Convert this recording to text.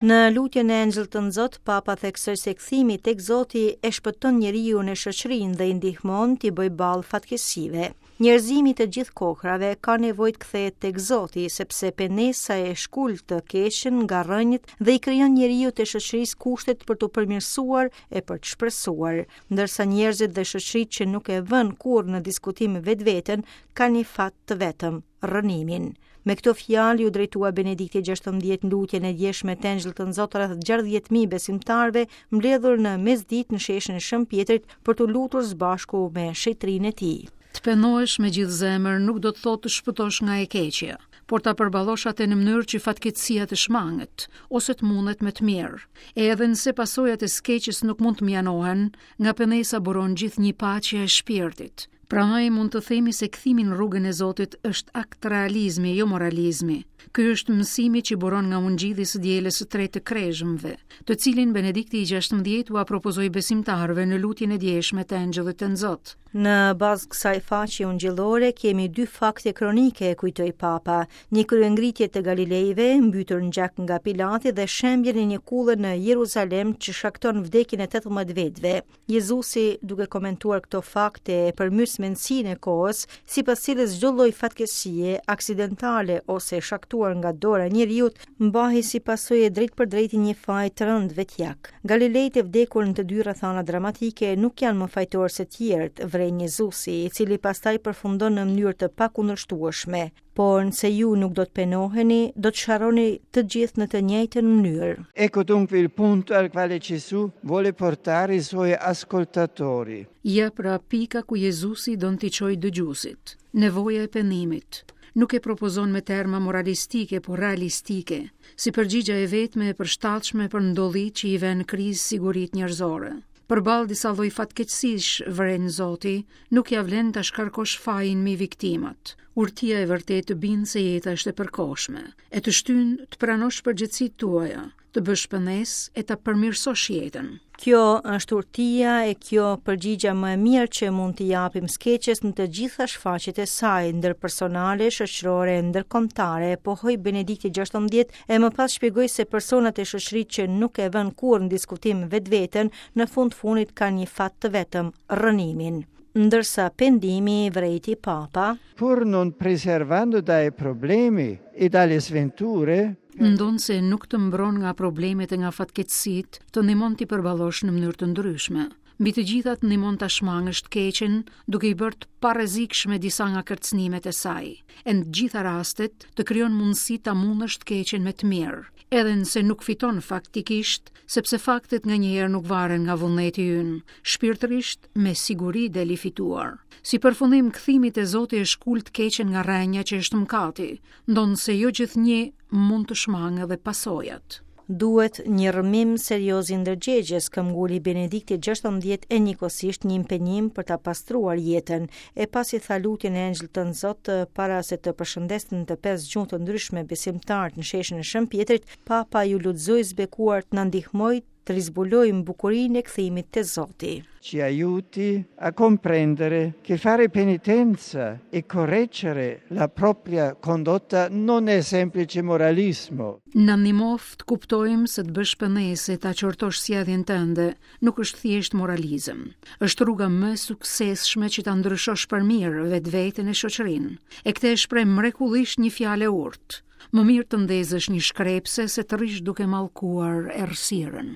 Në lutjen e Engjëllit Tënzot, Papa theksoi se kthimi tek Zoti e shpëton njeriun e shoqërinë dhe i ndihmon t'i bëjë ballë fatkeqësive. Njerëzimi i të gjithë kohërave ka nevojë të kthehet tek Zoti, sepse pendesa e shkul të keqen nga rrënjët dhe i krijon njeriut e shoqërisë kushtet për t'u përmirësuar e për të shpresuar. Ndërsa njerëzit dhe shoqëritë që nuk e vënë kurrë në diskutim vetveten, kanë një fat të vetëm, rrënimin. Me këto fjalë iu drejtua Benedikti 16 në lutjen e djeshme të Engjëllit Tënzot rreth 60.000 besimtarëve mbledhur në mesditë në sheshin e Shën Pjetrit për t'u lutur së bashku me shenjtërinë e tij. Të pendohesh me gjithë zemër nuk do të thotë të shpëtosh nga e keqja, por ta përballosh atë në mënyrë që fatkeqësia të shmanget ose të mundet me të mirë. E edhe nëse pasojat e së keqes nuk mund të mënjanohen, nga pendesa buron gjithnjë paqja e shpirtit. Prandaj mund të themi se kthimi në rrugën e Zotit është akt realizmi, jo moralizmi. Ky është mësimi që buron nga ungjilli i së dielës së tretë të Kreshmëve, të cilin Benedikti i 16 ua propozoi besimtarëve në lutjen e djeshme të Engjëllit Tënzot. Në bazë kësaj faqe ungjillore kemi dy fakte kronike, kujtoi Papa, një kryengritje të Galilejve, mbytur në gjak nga Pilati dhe shembjen e një kulle në Jeruzalem që shkakton vdekjen e 18 vetëve. Jezusi, duke komentuar këto fakte e përmys mendësinë e kohës, sipas cilës çdo lloj fatkeqësie, aksidentale ose e shkaktuar nga dora e njeriut, mbahej si pasojë e drejtpërdrejtë e një faji të rëndë vetjak. Galilejtë e vdekur në të dy rrethanat dramatike nuk janë më fajtorë se tjerët, vëren Jezusi, i cili pastaj përfundon në mënyrë të pakundërshtueshme. Por nëse ju nuk do të pendoheni, do të sharroni të gjithë në të njëjtën mënyrë. Ecco dunque il punto al quale Gesù vuole portare i suoi ascoltatori. Ja pra pika ku Jezusi don t'i çojë dëgjuesit. Nevoja e pendimit. Nuk e propozon me terma moralistike, por realistike, si përgjigja e vetme e përshtatshme për ndodhitë që i vënë në krizë siguritë njerëzore. Përballë disa lloj fatkeqësish, vëren Zoti, nuk ia vlen ta shkarkosh fajin mbi viktimat. Urtia e vërtetë të bind se jeta është e përkohshme, e të shtyn të pranosh përgjegjësitë tuaja, të bësh pendesë e ta përmirësosh jetën. Kjo është urtia e kjo përgjigja më e mirë që mund t'i japim së keqes në të gjitha shfaqjet e saj, ndërpersonale, shoqërore e ndërkombëtare, pohoi Benedikti 16 e më pas shpjegoi se personat e shoqëritë që nuk e vënë kurrë në diskutim vetveten, në fund fundit kanë një fat të vetëm, rrënimin. Ndërsa pendimi, vërejti Papa, Pur non preservando dai problemi e dalle sventure, Ndonëse nuk të mbron nga problemet e nga fatkeqësitë, të ndihmon t'i përballosh në mënyrë të ndryshme. Mbi të gjitha të ndihmon ta shmangësh të keqen, duke i bërë të parrezikshme disa nga kërcënimet e saj. E në të gjitha rastet, të krijon mundësi ta mundësh të keqen me të mirë, edhe nëse nuk fiton faktikisht, sepse faktet nganjëherë nuk varen nga vullneti ynë, shpirtërisht me siguri del i fituar. Si përfundim, kthimi te Zoti e shkul të keqen nga rrënja që është mëkati, ndonëse jo gjithnjë mund të shmangë edhe pasojat. Duhet një rrëmim serioz i ndërgjegjes, këmbguli Benedikti 16 e njëkohësisht një impenjim për ta pastruar jetën. E pasi tha lutjen e Engjëllit Tënzot para se të përshëndeste në të pesë gjuhë të ndryshme besimtarët në sheshin e Shën Pjetrit, Papa iu lut Zojës së Bekuar të na ndihmojë të rizbulojmë bukurinë e kthimit te Zoti. Ci aiuti a comprendere che fare penitenza e correggere la propria condotta non è semplice moralismo. Na ndihmoftë të kuptojmë se të bësh pendesë e ta qortosh sjelljen tënde nuk është thjesht moralizëm. Është rruga më e suksesshme që ta ndryshosh për mirë vetveten e shoqërinë. E këtë e shpreh mrekullisht një fjalë e urtë. Më mirë të ndezësh një shkrepse se të rrish duke mallkuar errësirën.